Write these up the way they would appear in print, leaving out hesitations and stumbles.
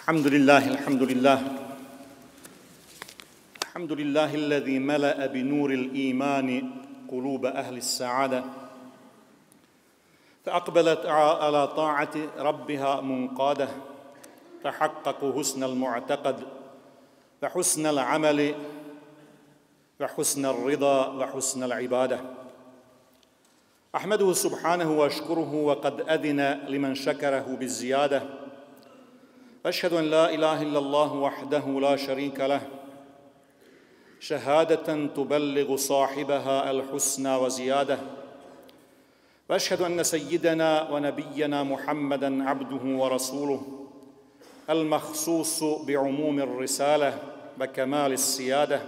الحمد لله الذي ملأ بنور الإيمان قلوب أهل السعادة فأقبلت على طاعة ربها منقادة فحققوا حسن المعتقد وحسن العمل وحسن الرضا وحسن العبادة. أحمده سبحانه وأشكره وقد أذن لمن شكره بالزيادة. أشهد أن لا إله إلا الله وحده لا شريك له شهادة تبلغ صاحبها الحسنى وزيادة. وأشهد أن سيدنا ونبينا محمدًا عبده ورسوله المخصوص بعموم الرسالة وكمال السيادة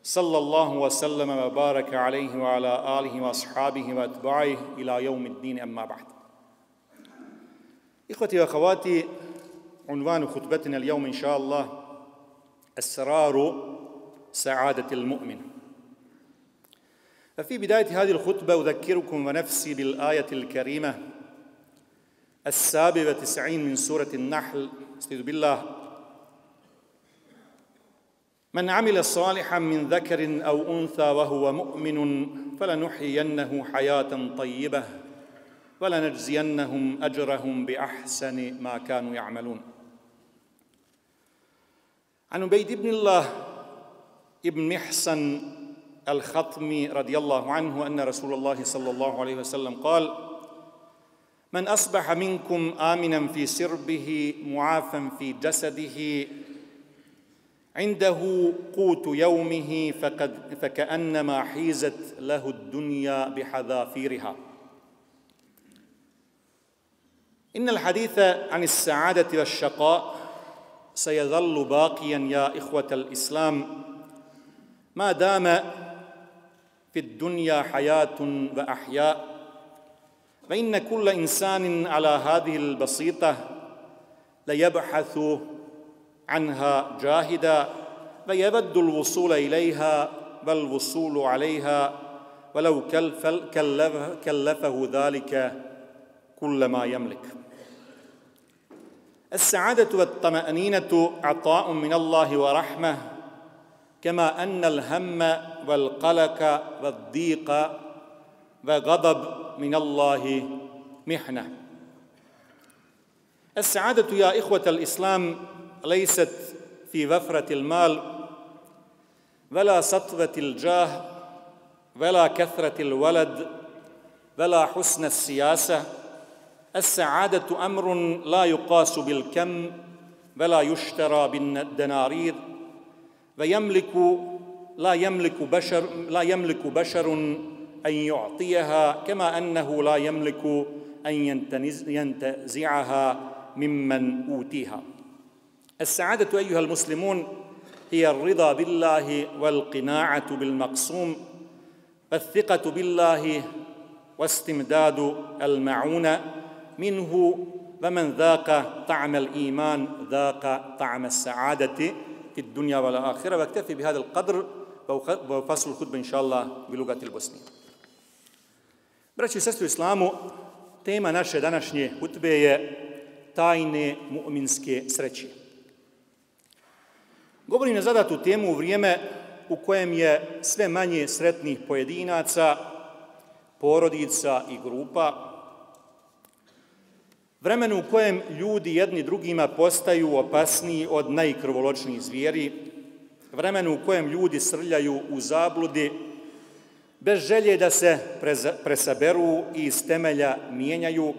صلى الله وسلم وبارك عليه وعلى آله وأصحابه وأتباعه إلى يوم الدين أما بعد. إخوتي وأخواتي، عنوان خطبتنا اليوم إن شاء الله أسرار سعادة المؤمن. ففي بداية هذه الخطبة أذكركم ونفسي بالآية الكريمة 97 من سورة النحل. استعيذ بالله: من عمل صالحا من ذكر أو أنثى وهو مؤمن فلنحيينه حياة طيبة ولنجزينهم أجرهم بأحسن ما كانوا يعملون. عن عبيد بن الله ابن محصن الخطمي رضي الله عنه أن رسول الله صلى الله عليه وسلم قال: من أصبح منكم آمنا في سربه معافا في جسده عنده قوت يومه فكأنما حيزت له الدنيا بحذافيرها. إن الحديث عن السعادة والشقاء سيظل باقيا يا إخوة الإسلام ما دام في الدنيا حياة وأحياء، فإن كل إنسان على هذه البسيطة ليبحث عنها جاهدا ويود الوصول إليها والوصول عليها ولو كلفه ذلك كل ما يملك. السعادة والطمأنينة عطاء من الله ورحمة، كما أن الهم والقلق والضيق وغضب من الله محنة. السعادة يا إخوة الإسلام ليست في وفرة المال ولا سطوة الجاه ولا كثرة الولد ولا حسن السياسة. السعادة أمر لا يقاس بالكم ولا يشترى بالدنانير، لا يملك بشر أن يعطيها، كما أنه لا يملك أن ينتزعها ممن أوتيها. السعادة أيها المسلمون هي الرضا بالله والقناعة بالمقسوم والثقة بالله واستمداد المعونة منه، ومن ذاق طعم الإيمان ذاق طعم السعادة في الدنيا والآخرة. واكتفي بهذا القدر وفصل الخطبة إن شاء الله بلغة البosnije. Braći i sestre u islamu, tema naše današnje hutbe je tajne mu'minske sreće. Govorim na zadatu temu u vrijeme u kojem je sve manje sretnih pojedinaca, porodica i grupa, vremenu u kojem ljudi jedni drugima postaju opasniji od najkrvoločnijih zvijeri, vremenu u kojem ljudi srljaju u zabludi bez želje da se presaberu i iz temelja mijenjaju,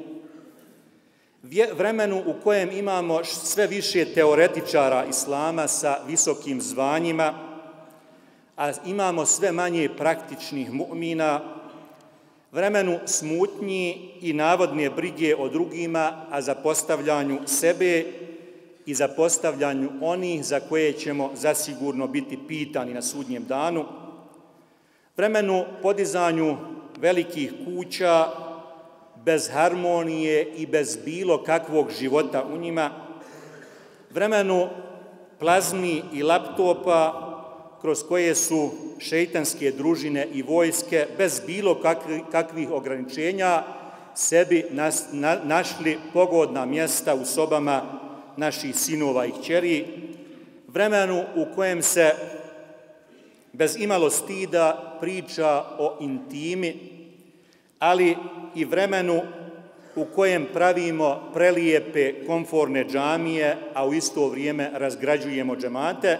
vremenu u kojem imamo sve više teoretičara islama sa visokim zvanjima, a imamo sve manje praktičnih mu'mina, vremenu smutnji i navodne brige o drugima, a zapostavljanju sebe i zapostavljanju onih za koje ćemo zasigurno biti pitani na sudnjem danu, vremenu podizanju velikih kuća bez harmonije i bez bilo kakvog života u njima, vremenu plazmi i laptopa kroz koje su šeitanske družine i vojske bez bilo kakvih ograničenja sebi našli pogodna mjesta u sobama naših sinova i kćeri, vremenu u kojem se bez imalo stida priča o intimi, ali i vremenu u kojem pravimo prelijepe, komforne džamije, a u isto vrijeme razgrađujemo džemate,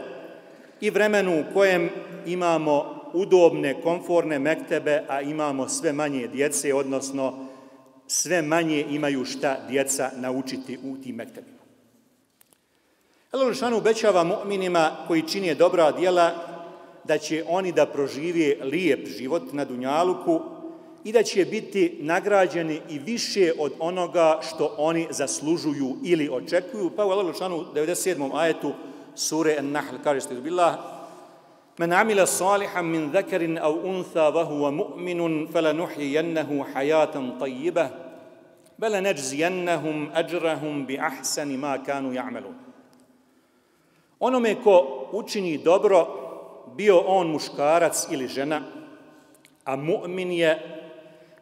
i vremenu u kojem imamo udobne, komforne mektebe, a imamo sve manje djece, odnosno sve manje imaju šta djeca naučiti u tim mektebima. Allah dželešanu obećava mu'minima koji čine dobra djela da će oni da prožive lijep život na dunjaluku i da će biti nagrađeni i više od onoga što oni zaslužuju ili očekuju. Pa u Allah dželešanu u 97. ajetu sure An-Nahl kaže se billah: "Men amila salihan min zakarin aw untha wa huwa mu'minun falanuhyiyannahu hayatan tayyibah wa lanajziyannahum ajrahum bi ahsani ma kanu ya'malun." Onome ko učini dobro, bio on muškarac ili žena, a mu'min je,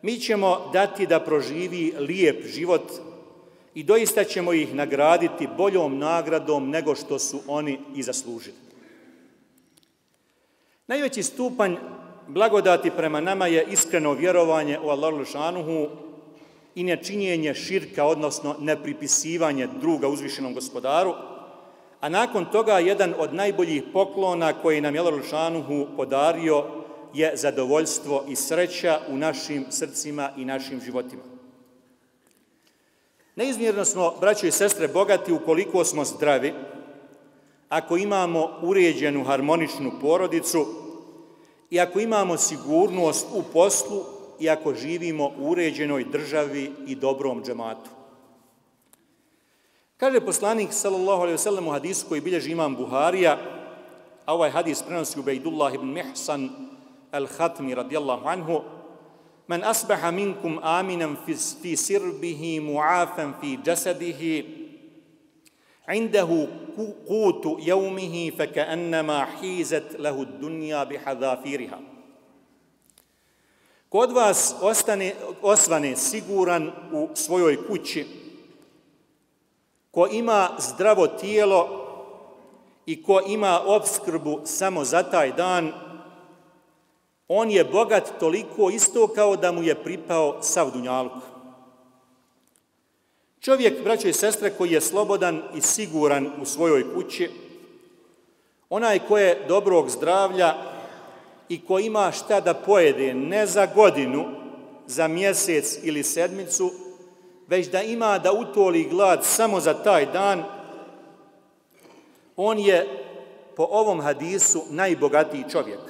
mi ćemo dati da proživi lijep život i doista ćemo ih nagraditi boljom nagradom nego što su oni i zaslužili. Najveći stupanj blagodati prema nama je iskreno vjerovanje u Allahu dželešanuhu i nečinjenje širka, odnosno nepripisivanje druga uzvišenom gospodaru, a nakon toga jedan od najboljih poklona koji nam je Allah dželešanuhu podario je zadovoljstvo i sreća u našim srcima i našim životima. Neizmjerno smo, braćo i sestre, bogati ukoliko smo zdravi, ako imamo uređenu harmoničnu porodicu i ako imamo sigurnost u poslu i ako živimo u uređenoj državi i dobrom džematu. Kaže poslanik sallallahu alejhi ve sellem u hadisu koji bilježi imam Buharija, a ovaj hadis prenosi Ubejdullah ibn Mihsan al-Khatmi radijallahu anhu: "Men asbaha minkum aminan fi sirbihi mu'afan fi jasadihi indahu qutu yawmihi fakannama hizat lahu ad-dunya bihadafiriha." Kod vas osvane siguran u svojoj kući, ko ima zdravo tijelo i ko ima opskrbu samo za taj dan, on je bogat toliko isto kao da mu je pripao sav dunjaluk. Čovjek, braćo i sestre, koji je slobodan i siguran u svojoj kući, onaj ko je dobrog zdravlja i ko ima šta da pojede ne za godinu, za mjesec ili sedmicu, već da ima da utoli glad samo za taj dan, on je po ovom hadisu najbogatiji čovjek.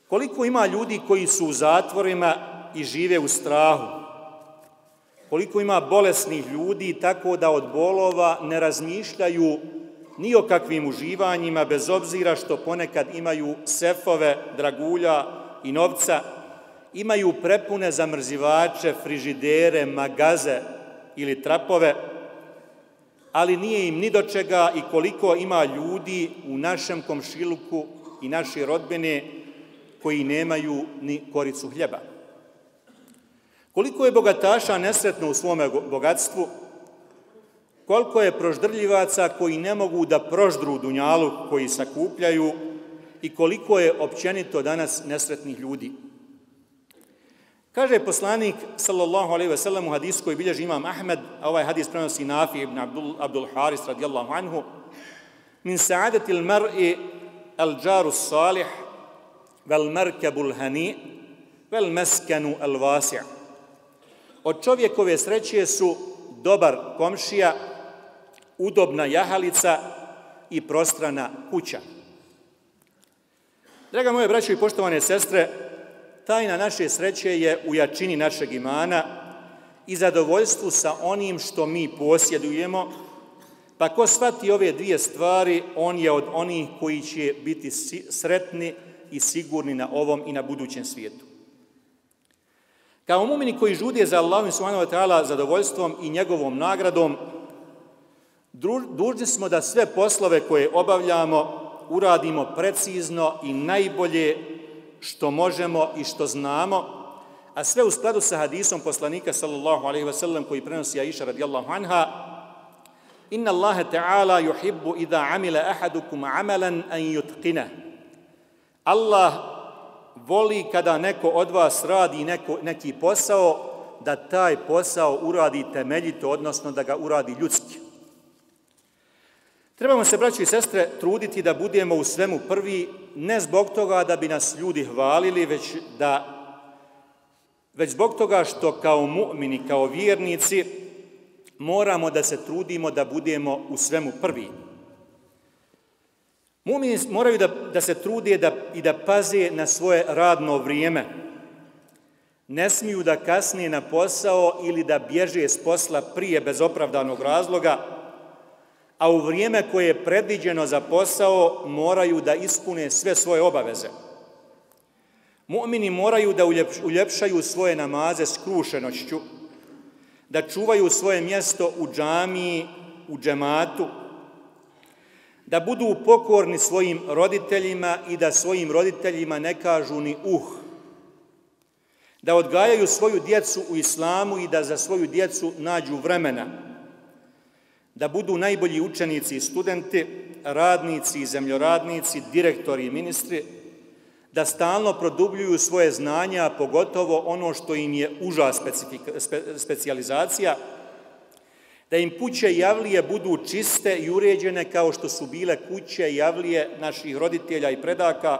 Koliko ima ljudi koji su u zatvorima i žive u strahu? Koliko ima bolesnih ljudi tako da od bolova ne razmišljaju ni o kakvim uživanjima, bez obzira što ponekad imaju sefove, dragulja i novca, imaju prepune zamrzivače, frižidere, magaze ili trapove, ali nije im ni do čega. I koliko ima ljudi u našem komšiluku i naše rodbine koji nemaju ni koricu hljeba. Koliko je bogataša nesretno u svome bogatstvu, koliko je proždrljivaca koji ne mogu da proždru dunjalu koji sakupljaju i koliko je općenito danas nesretnih ljudi. Kaže poslanik sallallahu alejhi ve sellem u hadisu koji bilježi imam Ahmed, a ovaj hadis prenosi Nafi ibn Abdul Haris radijallahu anhu: "Min sa'adati al-mar'i al-jaru as-salih wal markabu al-hani wal maskanu al-wasi'." Od čovjekove sreće su dobar komšija, udobna jahalica i prostrana kuća. Draga moje braćo i poštovane sestre, tajna naše sreće je u jačini našeg imana i zadovoljstvu sa onim što mi posjedujemo, pa ko shvati ove dvije stvari, on je od onih koji će biti sretni i sigurni na ovom i na budućem svijetu. Kao mumini koji žude za Allahom subhanahu wa ta'ala zadovoljstvom i njegovom nagradom, dužni smo da sve poslove koje obavljamo uradimo precizno i najbolje što možemo i što znamo, a sve u skladu sa hadisom poslanika sallallahu alejhi ve sellem koji prenosi Aisha radijallahu anha, Inna Allahe ta'ala yuhibbu idha amila ahadukum amalan an yutqina. Allah voli kada neko od vas radi neki posao, da taj posao uradi temeljito, odnosno da ga uradi ljudski. Trebamo se, braćo i sestre, truditi da budemo u svemu prvi, ne zbog toga da bi nas ljudi hvalili, već zbog toga što kao mu'mini, kao vjernici, moramo da se trudimo da budemo u svemu prvi. Mu'mini moraju da se trude i da paze na svoje radno vrijeme. Ne smiju da kasne na posao ili da bježe s posla prije bez opravdanog razloga, a u vrijeme koje je predviđeno za posao moraju da ispune sve svoje obaveze. Mu'mini moraju da uljepšaju svoje namaze skrušenošću, da čuvaju svoje mjesto u džamiji, u džematu, da budu pokorni svojim roditeljima i da svojim roditeljima ne kažu ni da odgajaju svoju djecu u islamu i da za svoju djecu nađu vremena, da budu najbolji učenici i studenti, radnici i zemljoradnici, direktori i ministri, da stalno produbljuju svoje znanja, pogotovo ono što im je uža specijalizacija, da im kuće i javlije budu čiste i uređene kao što su bile kuće i javlije naših roditelja i predaka,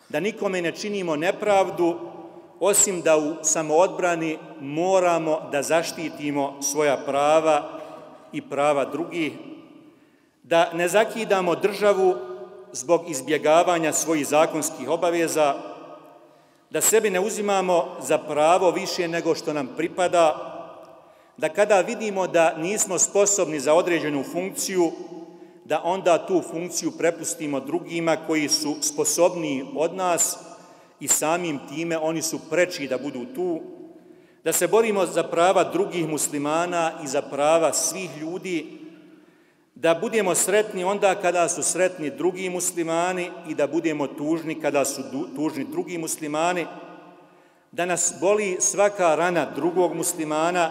da nikome ne činimo nepravdu, osim da u samoodbrani moramo da zaštitimo svoja prava i prava drugih, da ne zakidamo državu zbog izbjegavanja svojih zakonskih obaveza, da sebi ne uzimamo za pravo više nego što nam pripada, da kada vidimo da nismo sposobni za određenu funkciju, da onda tu funkciju prepustimo drugima koji su sposobniji od nas i samim time oni su preči da budu tu, da se borimo za prava drugih muslimana i za prava svih ljudi, da budemo sretni onda kada su sretni drugi muslimani i da budemo tužni kada su tužni drugi muslimani, da nas boli svaka rana drugog muslimana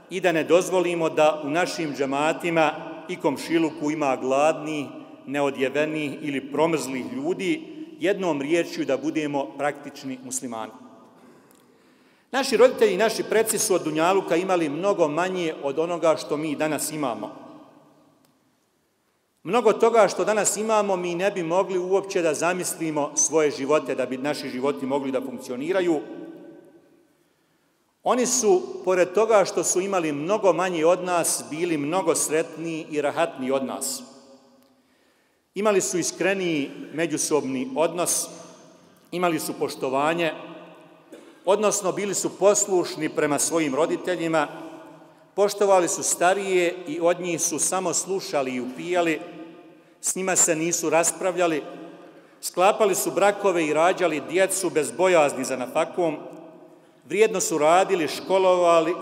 i da ne dozvolimo da u našim džematima i komšiluku ima gladnih, neodjevenih ili promrzlih ljudi, jednom riječju da budemo praktični muslimani. Naši roditelji i naši preci su od dunjaluka imali mnogo manje od onoga što mi danas imamo. Mnogo toga što danas imamo mi ne bi mogli uopće da zamislimo svoje živote, da bi naši životi mogli da funkcioniraju. Oni su, pored toga što su imali mnogo manje od nas, bili mnogo sretniji i rahatniji od nas. Imali su iskreniji međusobni odnos, imali su poštovanje, odnosno bili su poslušni prema svojim roditeljima, poštovali su starije i od njih su samo slušali i upijali, s njima se nisu raspravljali, sklapali su brakove i rađali djecu bez bojazni za nafakom, vrijedno su radili,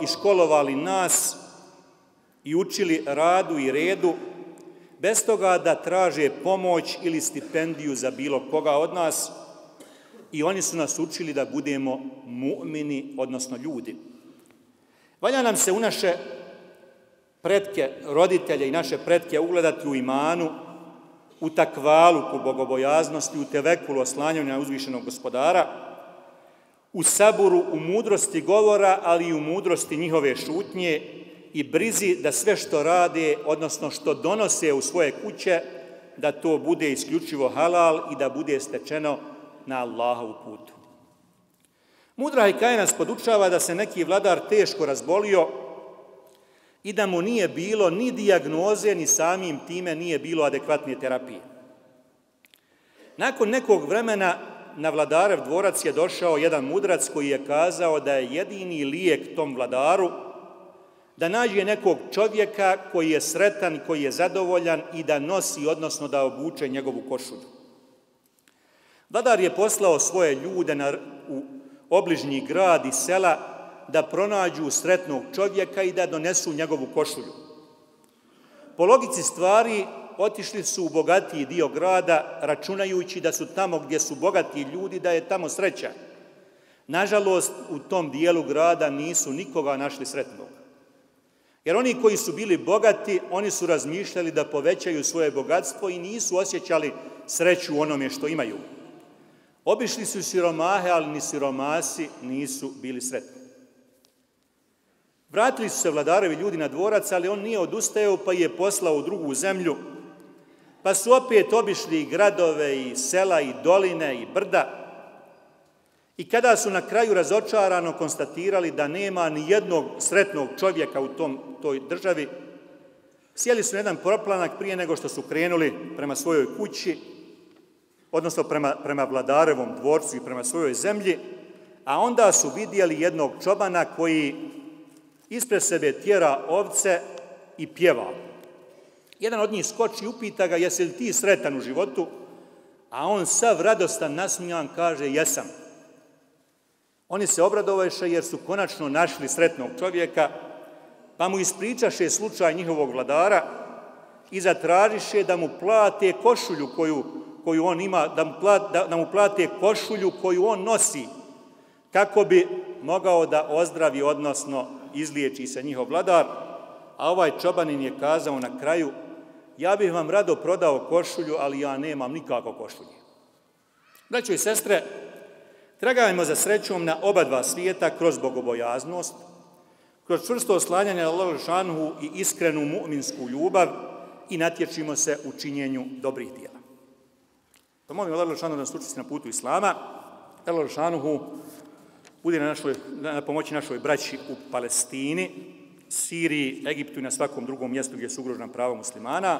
školovali nas i učili radu i redu, bez toga da traže pomoć ili stipendiju za bilo koga od nas, i oni su nas učili da budemo mu'mini, odnosno ljudi. Valja nam se u naše pretke, roditelje i naše pretke ugledati u imanu, u takvaluku, bogobojaznosti, u tevekulu, oslanjanju na uzvišenog gospodara, u saburu, u mudrosti govora, ali i u mudrosti njihove šutnje i brizi da sve što rade, odnosno što donose u svoje kuće, da to bude isključivo halal i da bude stečeno na Allahovu putu. Mudra hikaja nas podučava da se neki vladar teško razbolio i da mu nije bilo ni dijagnoze, ni samim time nije bilo adekvatne terapije. Nakon nekog vremena na vladarev dvorac je došao jedan mudrac koji je kazao da je jedini lijek tom vladaru da nađe nekog čovjeka koji je sretan, koji je zadovoljan i da nosi, odnosno da obuče njegovu košulju. Vladar je poslao svoje ljude u obližnji grad i sela da pronađu sretnog čovjeka i da donesu njegovu košulju. Po logici stvari otišli su u bogatiji dio grada, računajući da su tamo gdje su bogati ljudi, da je tamo sreća. Nažalost, u tom dijelu grada nisu nikoga našli sretnog. Jer oni koji su bili bogati, oni su razmišljali da povećaju svoje bogatstvo i nisu osjećali sreću u onome što imaju. Obišli su siromahe, ali ni siromasi nisu bili sretni. Vratili su se vladarovi ljudi na dvorac, ali on nije odustajao pa je poslao u drugu zemlju. Pa su opet obišli i gradove, i sela, i doline, i brda. I kada su na kraju razočarano konstatirali da nema ni jednog sretnog čovjeka u toj državi, sjeli su na jedan proplanak prije nego što su krenuli prema svojoj kući, odnosno prema vladarevom dvorcu i prema svojoj zemlji, a onda su vidjeli jednog čobana koji ispred sebe tjera ovce i pjeva. Jedan od njih skoči i upita ga, jesi li ti sretan u životu? A on sav radostan, nasmijan, kaže, jesam. Oni se obradovaše jer su konačno našli sretnog čovjeka, pa mu ispričaše slučaj njihovog vladara i zatražiše da mu plate košulju koju on ima, da mu plate košulju koju on nosi, kako bi mogao da ozdravi, odnosno izliječi se njihov vladar, a ovaj čobanin je kazao na kraju, ja bih vam rado prodao košulju, ali ja nemam nikako košulje. Braćo i sestre, tragajmo za srećom na oba dva svijeta kroz bogobojaznost, kroz čvrsto oslanjanje na Allahu dželešanu i iskrenu mu'minsku ljubav i natječimo se u činjenju dobrih djela. Pa molim Allahu dželešanu da nas učesti na putu Islama, Allahu dželešanu bude na pomoći našoj braći u Palestini, Siriji, Egiptu i na svakom drugom mjestu gdje su ugrožena prava muslimana,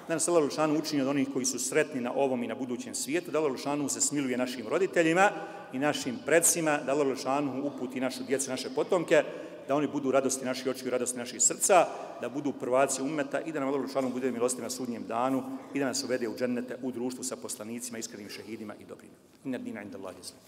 da nas Allahu dželešanu učini od onih koji su sretni na ovom i na budućem svijetu, da Allahu dželešanu se smiluje našim roditeljima i našim predsima, da Allahu dželešanu uputi našu djecu, naše potomke, da oni budu radosti naših očiju i radosti naših srca, da budu prvaci ummeta i da nam Allahu dželešanu bude milostiv na sudnjem danu i da nas uvede u džennete u društvu sa poslanicima, iskrenim šehidima i dobrima. Inna dina inda Allahi islam.